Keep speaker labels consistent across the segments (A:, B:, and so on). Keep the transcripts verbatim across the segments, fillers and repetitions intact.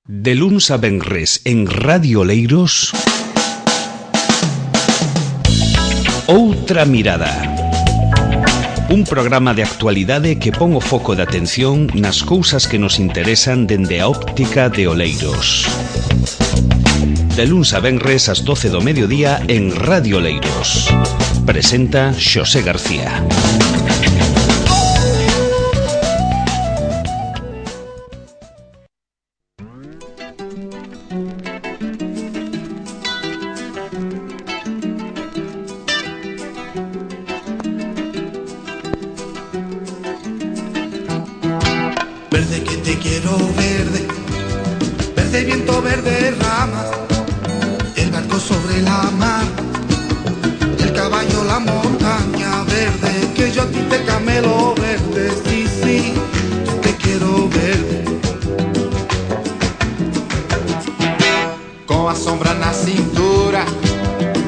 A: De luns a venres en Radio Oleiros, Outra Mirada. Un programa de actualidade que pon o foco de atención nas cousas que nos interesan dende a óptica de Oleiros. De luns a venres ás doce do mediodía en Radio Oleiros. Presenta Xosé García.
B: Verde que te quiero verde, verde viento, verde rama, el barco sobre la mar, el caballo, la montaña verde, que yo a ti te camelo verde, sí, sí, te quiero verde. Con a sombra na cintura,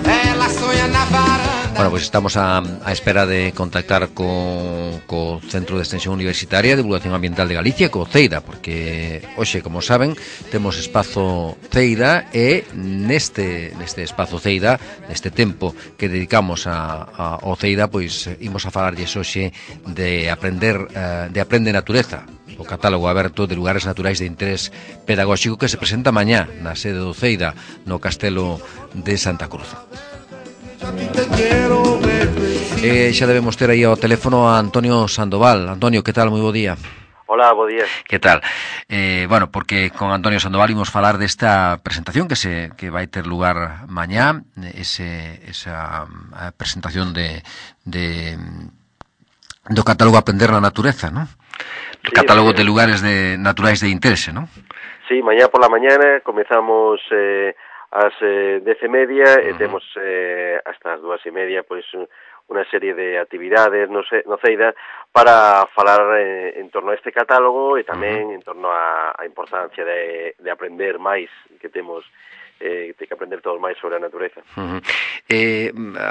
B: ela soña na varanda.
C: Bueno, pois pues estamos a, a espera de contactar co, co Centro de Extensión Universitaria de Divulgación Ambiental de Galicia, co CEIDA, porque hoxe, como saben, temos espazo CEIDA e neste neste espazo CEIDA, neste tempo que dedicamos a, a, ao CEIDA, pois imos a falarlles hoxe de aprender uh, de Aprende Natureza, o catálogo aberto de lugares naturais de interés pedagóxico que se presenta mañá na sede do CEIDA no Castelo de Santa Cruz. Eh, xa debemos ter aí ao teléfono a Antonio Sandoval. Antonio, que tal? Moi bo día.
D: Hola, bo día.
C: Que tal? Eh, bueno, porque con Antonio Sandoval imos falar desta presentación que se que vai ter lugar mañá, ese esa a presentación de de do catálogo Aprender na Natureza, ¿no? O
D: Sí,
C: catálogo
D: sí.
C: de lugares de naturais de interese, ¿no?
D: Sí, mañá por la mañana comezamos eh, ás eh, dez e media e
C: Uh-huh.
D: temos eh, hasta as dúas e media pois unha serie de actividades no, se, no CEIDA para falar eh, en torno a este catálogo e tamén uh-huh. en torno a, a importancia de, de aprender máis que temos eh, de que aprender todos máis sobre a natureza.
C: Uh-huh. Eh,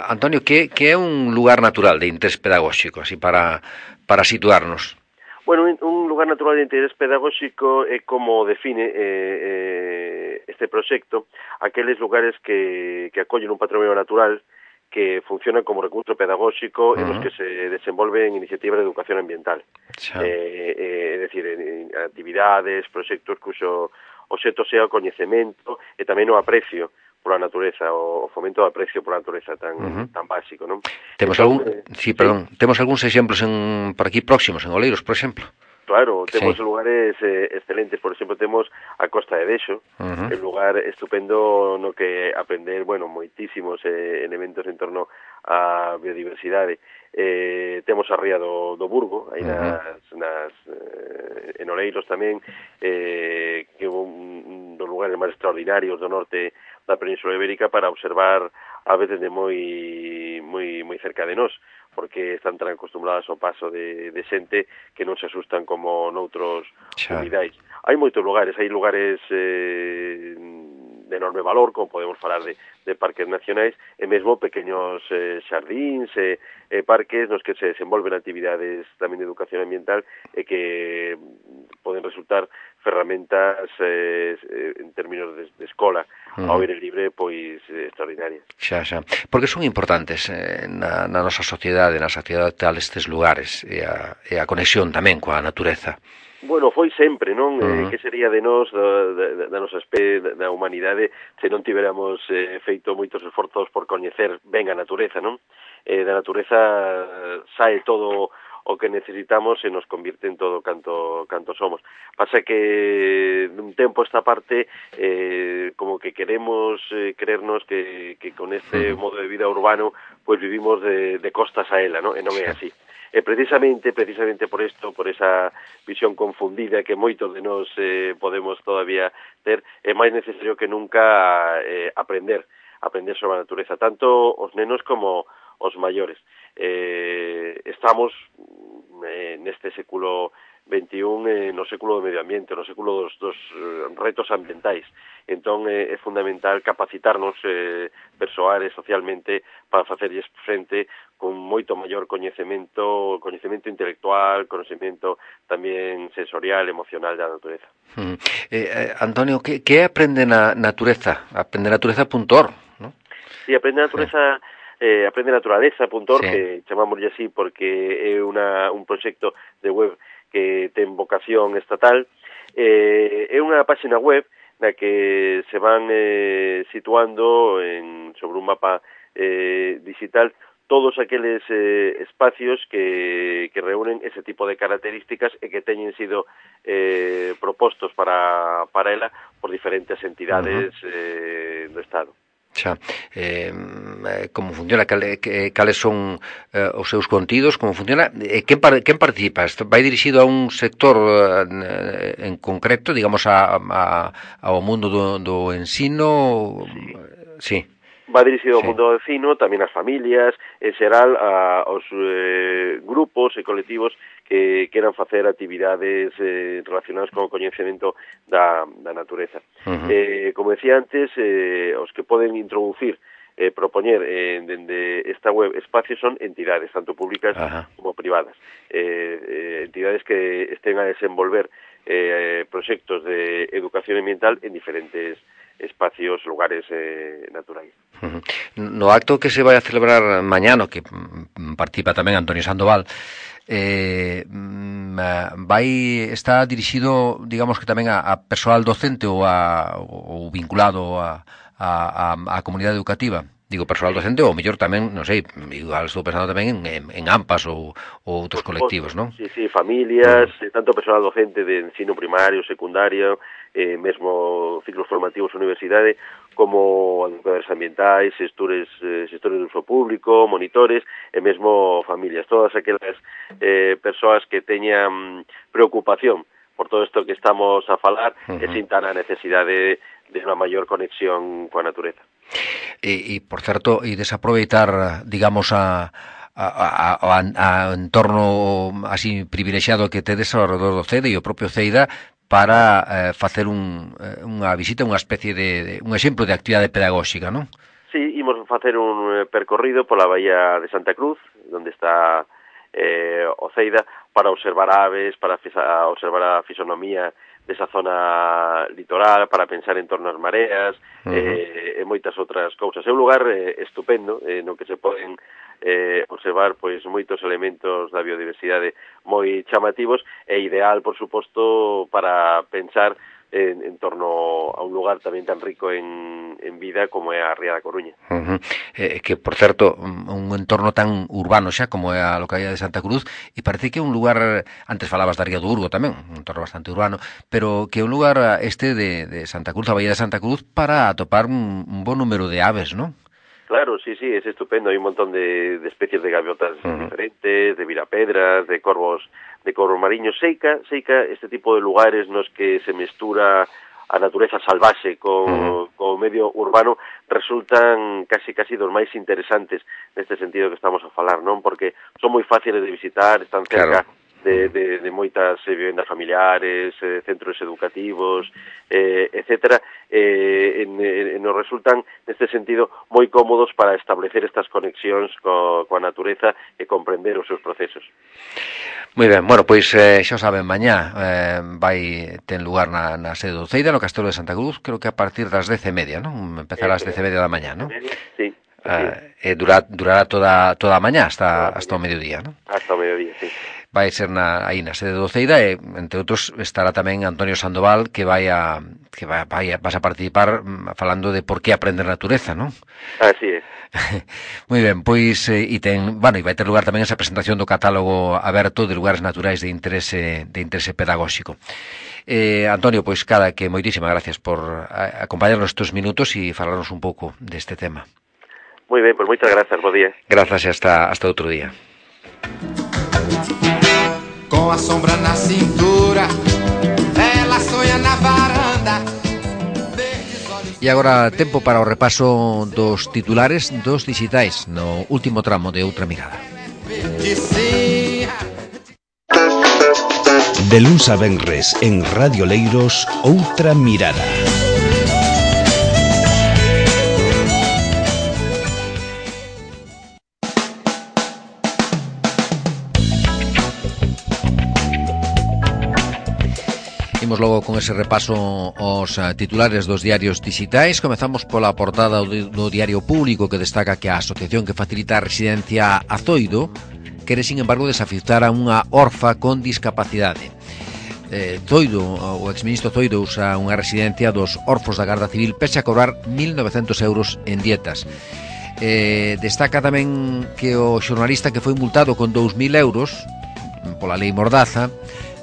C: Antonio, que, que é un lugar natural de interés pedagóxico, así para, para situarnos?
D: Bueno, un lugar natural de interés pedagóxico é como define eh, eh, este proxecto aqueles lugares que, que acollen un patrimonio natural que funcionan como recurso pedagóxico uh-huh. en los que se desenvolven iniciativas de educación ambiental.
C: Xa.
D: Eh, eh, é dicir, en, en actividades, proxectos cuxo obxecto sea o coñecemento e tamén o aprecio pola natureza, o fomento do aprecio pola natureza tan uh-huh. tan básico, non?
C: Temos
D: Entón,
C: algún,
D: eh,
C: sí, perdón, sí. Temos algúns exemplos en por aquí próximos, en Oleiros, por exemplo.
D: Claro, temos
C: sí.
D: lugares eh, excelentes, por exemplo, temos a Costa de Dexo,
C: uh-huh.
D: un lugar estupendo no que aprender, bueno, moitísimos eh, elementos en torno á biodiversidade. Eh, temos a Ría do, do Burgo, aí uh-huh. nas, nas eh, en Oleiros tamén, eh, que é un, un dos lugares máis extraordinarios do norte da Península Ibérica para observar a veces de moi moi moi cerca de nós, porque están tan acostumbradas ao paso de, de xente que non se asustan como noutros unidades. Hai moitos lugares, hai lugares eh, de enorme valor, como podemos falar de, de parques nacionais, e mesmo pequeños eh, xardíns e eh, parques nos que se desenvolven actividades tamén de educación ambiental e que poden resultar ferramentas eh, en términos de, de escola uh-huh. ao aire libre, pois eh, extraordinarias.
C: Xa, xa. Porque son importantes eh, na, na nosa sociedade, na sociedade tal estes lugares e a, e a conexión tamén coa natureza.
D: Bueno, foi sempre, non? Uh-huh. Eh, que sería de nós, da, da, da nosa especie, da humanidade, se non tiveramos eh, feito moitos esforzos por coñecer ben a natureza, non? Eh, da natureza sae todo o que necesitamos e nos convierte en todo canto canto somos. Pasa que dun tempo esta parte eh, como que queremos eh, creernos que, que con este modo de vida urbano pues vivimos de, de costas a ela, ¿no? E non é así. E precisamente, precisamente por isto, por esa visión confundida que moitos de nós eh, podemos todavía ter, é máis necesario que nunca eh, aprender, aprender sobre a natureza, tanto os nenos como os maiores. Eh, estamos eh, neste século veintiún eh, no século do medio ambiente, no século dos, dos eh, retos ambientais. Entón eh, é fundamental capacitarnos eh, persoal e socialmente para facerlles frente con moito maior coñecemento, coñecemento intelectual, coñecemento tamén sensorial, emocional da natureza.
C: Mm. Eh, eh, Antonio, que, que aprende na natureza? aprende natureza punto org, non?
D: Sí, aprende natureza, sí. eh, aprende naturaleza punto org, sí. Que chamámoslle así porque é una, un proxecto de web que ten vocación estatal. Eh, é unha páxina web na que se van eh, situando en, sobre un mapa eh, digital todos aqueles eh, espacios que, que reúnen ese tipo de características e que teñen sido eh, propostos para, para ela por diferentes entidades uh-huh. eh, do Estado.
C: Xa, eh, como funciona, cale, que, cales son eh, os seus contidos, como funciona, eh, quen, par, quen participa? Isto vai dirixido a un sector eh, en concreto, digamos, a, a, ao mundo do, do ensino? Sí. Sí.
D: Va dirixido ao
C: sí.
D: mundo do ensino, tamén ás familias, en xeral a, aos eh, grupos e colectivos que queran facer actividades eh, relacionadas con o coñecemento da, da natureza. Uh-huh. Eh, como decía antes, eh, os que poden introducir, eh, propoñer eh, dende esta web espacios son entidades, tanto públicas uh-huh. como privadas. Eh, eh, entidades que estén a desenvolver eh, proxectos de educación ambiental en diferentes espacios, lugares eh, naturais.
C: Uh-huh. No acto que se vai a celebrar mañana, que participa tamén Antonio Sandoval, eh, vai está dirixido, digamos que tamén a, a persoal docente ou, a, ou vinculado a, a, a, a comunidade educativa. Digo, persoal docente ou mellor tamén, non sei, igual estou pensando tamén en, en, en AMPAs ou, ou outros colectivos, non?
D: Sí, sí, familias, uh-huh. tanto personal docente de ensino primario, secundario, eh, mesmo ciclos formativos universidade, como educadores ambientais, xestores, eh, xestores do uso público, monitores, e mesmo familias. Todas aquelas eh, persoas que teñan preocupación por todo isto que estamos a falar uh-huh. e sintan a necesidade de unha maior conexión coa natureza.
C: E, e por certo, e desaproveitar, digamos, a, a, a, a, a entorno así privilexiado que tedes ao redor do CEDE e o propio CEIDA para eh, facer un, unha visita, unha especie de, de un exemplo de actividade pedagóxica, non?
D: Sí, imos facer un percorrido pola Bahía de Santa Cruz, onde está eh, o CEIDA, para observar aves, para fisa, observar a fisonomía desa zona litoral, para pensar en torno ás mareas, uh-huh. eh, e moitas outras cousas. É un lugar eh, estupendo, eh, no que se poden eh, observar pois moitos elementos da biodiversidade moi chamativos e ideal, por suposto, para pensar en, en torno a un lugar tamén tan rico en, en vida como é a Ría da Coruña.
C: Uh-huh. Eh, que, por certo, un entorno tan urbano xa como é a localidade de Santa Cruz, e parece que é un lugar, antes falabas da Ría do Urgo tamén, un entorno bastante urbano, pero que é un lugar este de, de Santa Cruz, a Bahía de Santa Cruz, para atopar un, un bon número de aves, non?
D: Claro, sí, sí, es estupendo. Hay un montón de, de especies de gaviotas uh-huh. diferentes, de virapedras, de corvos, de corvos mariños. Seica, Seica, este tipo de lugares nos que se mestura a natureza salvaxe co, uh-huh. co medio urbano, resultan casi casi dos máis interesantes neste sentido que estamos a falar, non? Porque son moi fáciles de visitar, están cerca claro. De, de, de moitas eh, vivendas familiares, eh, centros educativos, eh, etcétera, eh, en, en, nos resultan, neste sentido, moi cómodos para establecer estas conexións co, coa natureza e comprender os seus procesos.
C: Moi ben, bueno, pois eh, xa saben, mañá eh, vai ten lugar na, na sede do CEIDA, no Castelo de Santa Cruz, creo que a partir das dez e media, non? Empezará ás dez e media da mañá, non?
D: Sí.
C: Uh, e durará, durará toda, toda a mañá hasta, hasta o mediodía, non?
D: Hasta o mediodía, sí.
C: Vai ser na, aí na sede do CEIDA e, entre outros, estará tamén Antonio Sandoval, que vai a, que vai, vai a, vas a participar falando de por que aprender natureza, non?
D: Así é.
C: Moi ben, pois, e ten, bueno, e vai ter lugar tamén esa presentación do catálogo aberto de lugares naturais de interese, de interese pedagóxico. Eh, Antonio, pois, cada que moitísimas gracias por acompañarnos estes minutos e falarnos un pouco deste tema.
D: Moi ben, pois moitas grazas, bo día.
C: Grazas e hasta, hasta outro día.
B: Com a sombra na cintura, ela sonha na varanda.
C: E agora tempo para o repaso dos titulares dos dixitais no último tramo de Outra Mirada.
A: De luns a venres en Radio Leiros, Outra Mirada.
C: imos logo con ese repaso aos uh, titulares dos diarios digitais. Comezamos pola portada do, do Diario Público, que destaca que a asociación que facilita a residencia a Zoido quere, sin embargo, desafiar a unha orfa con discapacidade. Eh, Zoido, o exministro Zoido, usa unha residencia dos orfos da Garda Civil pese a cobrar mil novecientos euros en dietas. Eh, destaca tamén que o xornalista que foi multado con dous mil euros pola lei Mordaza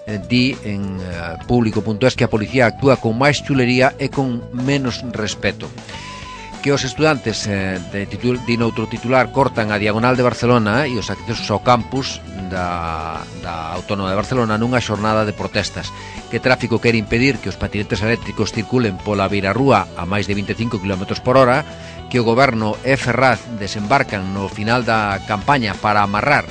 C: eh, di en uh, público punto es que a policía actúa con máis chulería e con menos respeto. Que os estudantes eh, de titul, de noutro titular cortan a diagonal de Barcelona e os accesos ao campus da, da Autónoma de Barcelona nunha xornada de protestas. Que tráfico quere impedir que os patinetes eléctricos circulen pola beirarrúa a máis de vinte e cinco kilómetros por hora, que o goberno e Ferraz desembarcan no final da campaña para amarrar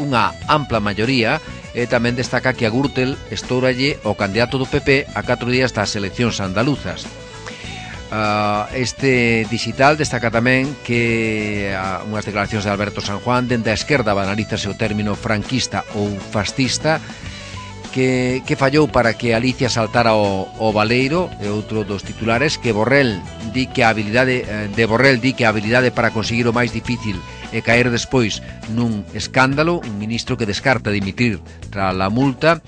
C: unha ampla maioría, e tamén destaca que a Gürtel estouralle o candidato do P P a catro días das eleccións andaluzas. Uh, este digital destaca tamén que uh, unhas declaracións de Alberto San Juan dende a esquerda banalízase o término franquista ou fascista, que, que fallou para que Alicia saltara o, o baleiro. E outro dos titulares, que Borrell di que a habilidade de Borrell di que a habilidade para conseguir o máis difícil e caer despois nun escándalo, un ministro que descarta dimitir tras a multa.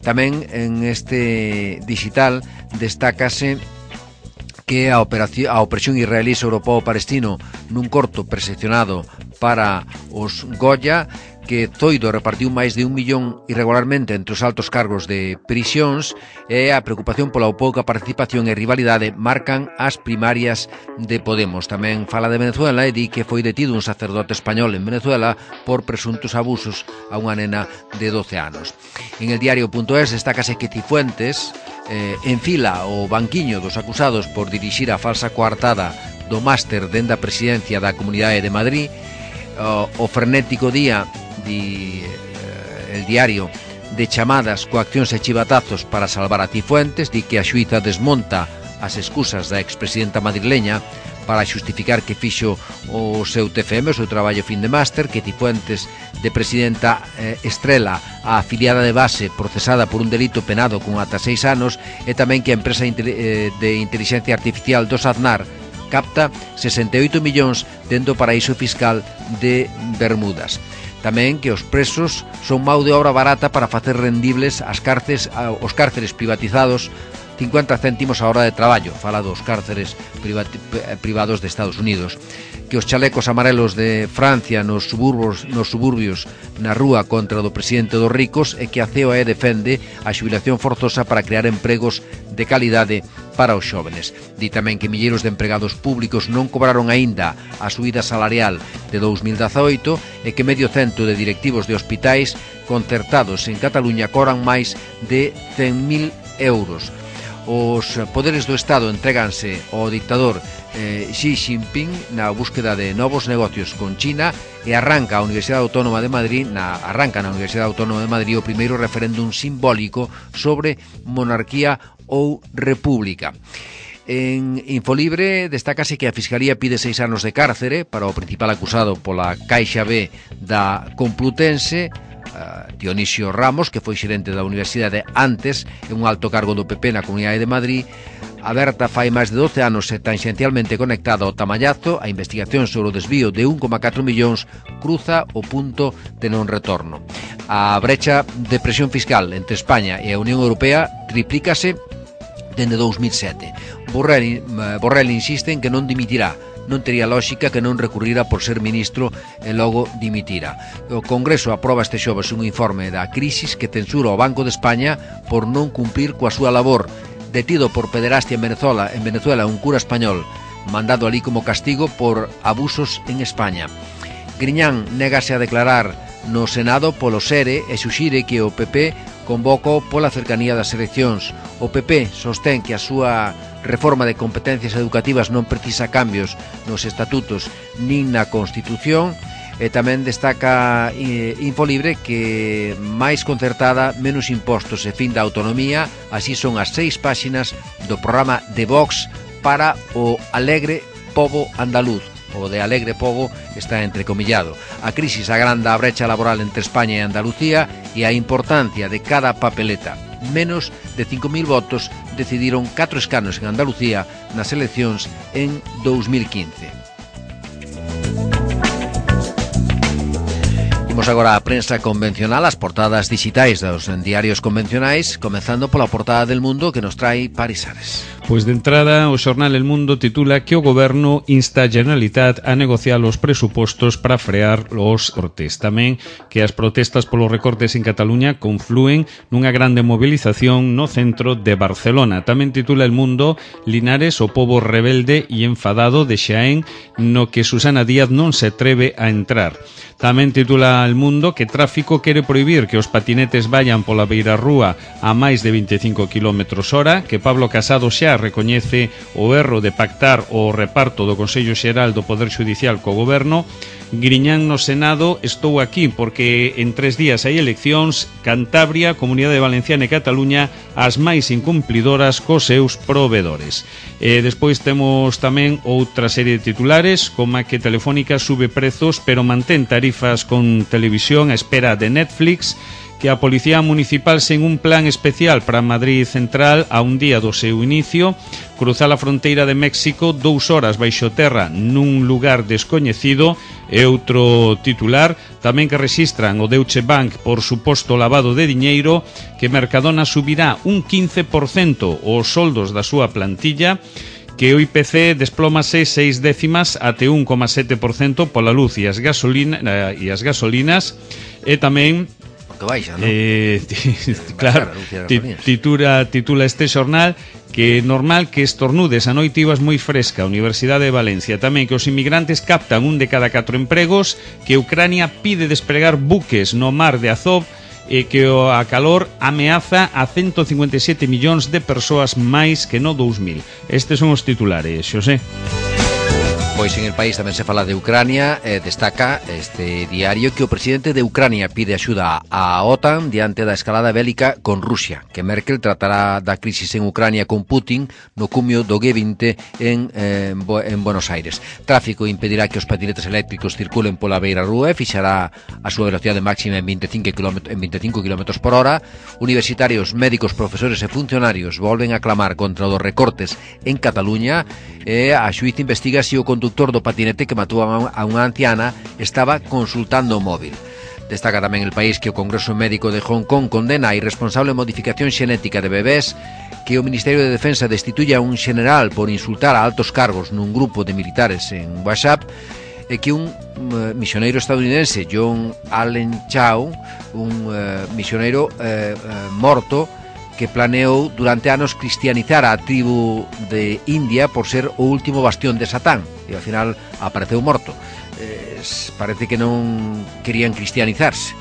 C: Tamén en este digital destácase que a, operación, a opresión israelí sobre o pobo palestino nun corto percepcionado para os Goya, que Zoido repartiu máis de un millón irregularmente entre os altos cargos de prisións, e a preocupación pola pouca participación e rivalidade marcan as primarias de Podemos. Tamén fala de Venezuela e di que foi detido un sacerdote español en Venezuela por presuntos abusos a unha nena de doce anos. En el diario punto es destácase que Cifuentes eh, enfila o banquiño dos acusados por dirixir a falsa coartada do máster dende a presidencia da Comunidade de Madrid. O, o frenético día di eh, el diario de chamadas, coaccións e chivatazos para salvar a Cifuentes. Di que a xuíza desmonta as excusas da expresidenta madrileña para xustificar que fixo o seu T F M, o seu traballo fin de máster, que Cifuentes de presidenta eh, estrela a afiliada de base procesada por un delito penado con ata seis anos, e tamén que a empresa de inteligencia artificial dos Aznar capta sesenta e oito millóns dentro do paraíso fiscal de Bermudas. Tamén que os presos son mão de obra barata para facer rendibles as cárceles, os cárceres privatizados cincuenta céntimos a hora de traballo. Fala dos cárceres privados de Estados Unidos. Que os chalecos amarelos de Francia nos suburbios, nos suburbios na rúa contra do presidente dos ricos, e que a C O E defende a xubilación forzosa para crear empregos de calidade para os xóvenes. Di tamén que milleiros de empregados públicos non cobraron aínda a subida salarial de dous mil dezaoito, e que medio cento de directivos de hospitais concertados en Cataluña cobran máis de cen mil euros. Os poderes do Estado entréganse ao dictador eh, Xi Jinping na búsqueda de novos negocios con China, e arranca a Universidade Autónoma de Madrid na, arranca na Universidade Autónoma de Madrid o primeiro referéndum simbólico sobre monarquía ou república. En Infolibre destácase que a Fiscalía pide seis anos de cárcere para o principal acusado pola Caixa B da Complutense, Uh, Dionisio Ramos, que foi xerente da Universidade antes, é un alto cargo do P P na Comunidade de Madrid. Aberta fai máis de doce anos e tangencialmente conectada ao Tamallazo, a investigación sobre o desvío de un coma catro millóns cruza o punto de non retorno. A brecha de presión fiscal entre España e a Unión Europea triplícase dende dous mil sete. Borrell, Borrell insiste en que non dimitirá. Non tería lógica que non recurrira por ser ministro e logo dimitira. O Congreso aproba este xoves un informe da crisis que censura o Banco de España por non cumplir coa súa labor. Detido por pederastia en Venezuela, en Venezuela un cura español, mandado ali como castigo por abusos en España. Griñán négase a declarar no Senado polo SERE e suxire que o P P convoca pola cercanía das eleccións. O P P sostén que a súa reforma de competencias educativas non precisa cambios nos estatutos nin na Constitución, e tamén destaca eh, Infolibre que máis concertada, menos impostos e fin da autonomía. Así son as seis páxinas do programa de Vox para o alegre pobo andaluz. O de alegre pobo está entrecomillado. A crisis agranda a brecha laboral entre España e Andalucía e a importancia de cada papeleta. menos de cinco mil votos decidiron catro escanos en Andalucía nas eleccións en dous mil quince. Imos agora a prensa convencional, as portadas digitais dos diarios convencionais, comenzando pola portada del Mundo que nos trae Paris Ares.
A: Pois de entrada, o xornal El Mundo titula que o goberno insta a Generalitat a negociar os presupostos para frear os cortes. Tamén que as protestas polos recortes en Cataluña conflúen nunha grande movilización no centro de Barcelona. Tamén titula El Mundo Linares, o pobo rebelde e enfadado de Xaén, no que Susana Díaz non se atreve a entrar. Tamén titula El Mundo que Tráfico quere prohibir que os patinetes vayan pola beirarrúa a máis de veinticinco kilómetros hora, que Pablo Casado xa recoñece o erro de pactar o reparto do Consello Xeral do Poder Xudicial co Goberno. Griñán no Senado, estou aquí porque en tres días hai eleccións. Cantabria, Comunidade Valenciana e Cataluña as máis incumplidoras cos seus provedores. E despois temos tamén outra serie de titulares, como que Telefónica sube prezos pero mantén tarifas con televisión a espera de Netflix, que a Policía Municipal sen un plan especial para Madrid Central a un día do seu inicio, cruzar a fronteira de México dous horas baixo terra nun lugar descoñecido, e outro titular tamén que rexistran o Deutsche Bank por suposto lavado de diñeiro, que Mercadona subirá un quince por cento os soldos da súa plantilla, que o I P C desplómase seis décimas até un coma sete por cento pola luz e as, gasolina, e as gasolinas, e tamén
C: que baixa, ¿no?
A: Eh, claro, titula, titula este xornal que normal que estornudes a noite ibas moi fresca. A Universidade de Valencia tamén que os inmigrantes captan un de cada catro empregos, que Ucrania pide despregar buques no mar de Azov, e que a calor ameaza a ciento cincuenta e sete millóns de persoas máis que no dous mil. Estes son os titulares, Xosé.
C: Pois en El País tamén se fala de Ucrania. eh, Destaca este diario que o presidente de Ucrania pide axuda á OTAN diante da escalada bélica con Rusia, que Merkel tratará da crisis en Ucrania con Putin no cumio do G vinte en, eh, en Buenos Aires. Tráfico impedirá que os patinetes eléctricos circulen pola beira rúa e fixará a súa velocidade máxima en veinticinco kilómetros por hora. Universitarios, médicos, profesores e funcionarios volven a clamar contra os recortes en Cataluña, e a xuíz investiga se o conductor do patinete que matou a unha anciana estaba consultando o móvil. Destaca tamén El País que o Congreso Médico de Hong Kong condena a irresponsable modificación xenética de bebés, que o Ministerio de Defensa destituya a un general por insultar a altos cargos nun grupo de militares en WhatsApp, e que un uh, misioneiro estadounidense, John Allen Chau, un uh, misioneiro uh, uh, morto, que planeou durante anos cristianizar a tribu de India por ser o último bastión de Satán, e ao final apareceu morto. Eh, parece que non querían cristianizarse.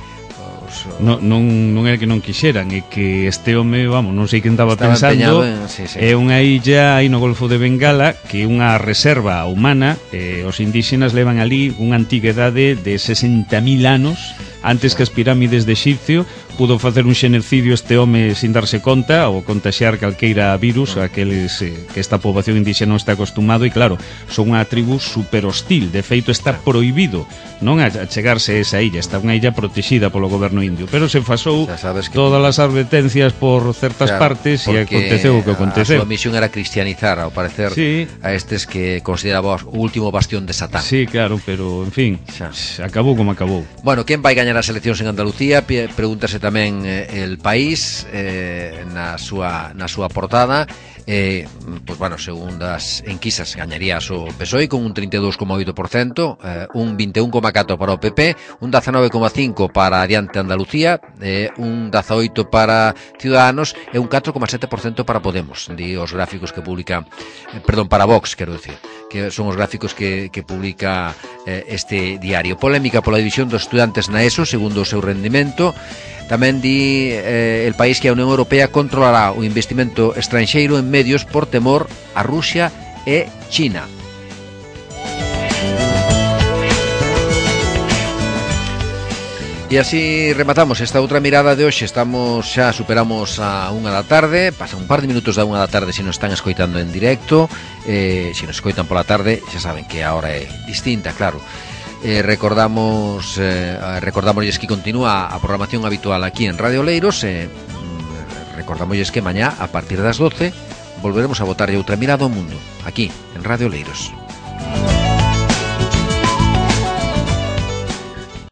C: Os,
A: non, non, non é que non quixeran, é que este home, vamos, non sei que estaba pensando,
C: en, sí, sí.
A: É unha illa aí no Golfo de Bengala, que é unha reserva humana, e os indígenas levan ali unha antigüedade de sesenta mil anos, antes que as pirámides de Xipcio. Pudo facer un xenocidio este home sin darse conta, ou contaxiar calqueira virus, aqueles eh, que esta poboación indígena non está acostumado, e claro, son unha tribu super hostil. De feito, está prohibido non a chegarse a esa illa, está unha illa protexida polo goberno indio, pero se fasou que todas as advertencias por certas claro, partes e aconteceu o que aconteceu.
C: A súa misión era cristianizar, ao parecer, sí, a estes que consideraba o último bastión de Satán.
A: Sí, claro, pero, en fin, xa. acabou como acabou.
C: Bueno, quen vai gañar as eleccións en Andalucía? Pregúntase tamén eh, El País eh, na súa na súa portada. Eh, pues bueno, según das enquisas gañarías o P S O E con un trinta e dous coma oito por cento, eh, un vinte e un coma catro por cento para o P P, un dezanove coma cinco por cento para Adiante Andalucía, eh, un dezaoito por cento para Ciudadanos e un catro coma sete por cento para Podemos, di os gráficos que publica, eh, perdón, para Vox, quero decir, que son os gráficos que, que publica eh, este diario. Polémica pola división dos estudantes na ESO, segundo o seu rendimento. Tamén di eh, El País que a Unión Europea controlará o investimento estranxeiro en medios por temor a Rusia e China. E así rematamos esta outra mirada de hoxe. Estamos, xa superamos a unha da tarde, pasa un par de minutos da unha da tarde se nos están escoitando en directo, eh, se nos escoitan pola tarde, xa saben que a hora é distinta, claro. Eh, recordamos eh, recordamos que continúa a programación habitual aquí en Radio Oleiros. eh, recordamosles que mañá, a partir das doce, volveremos a botarlle outra mirada ao mundo, aquí, en Radio Oleiros.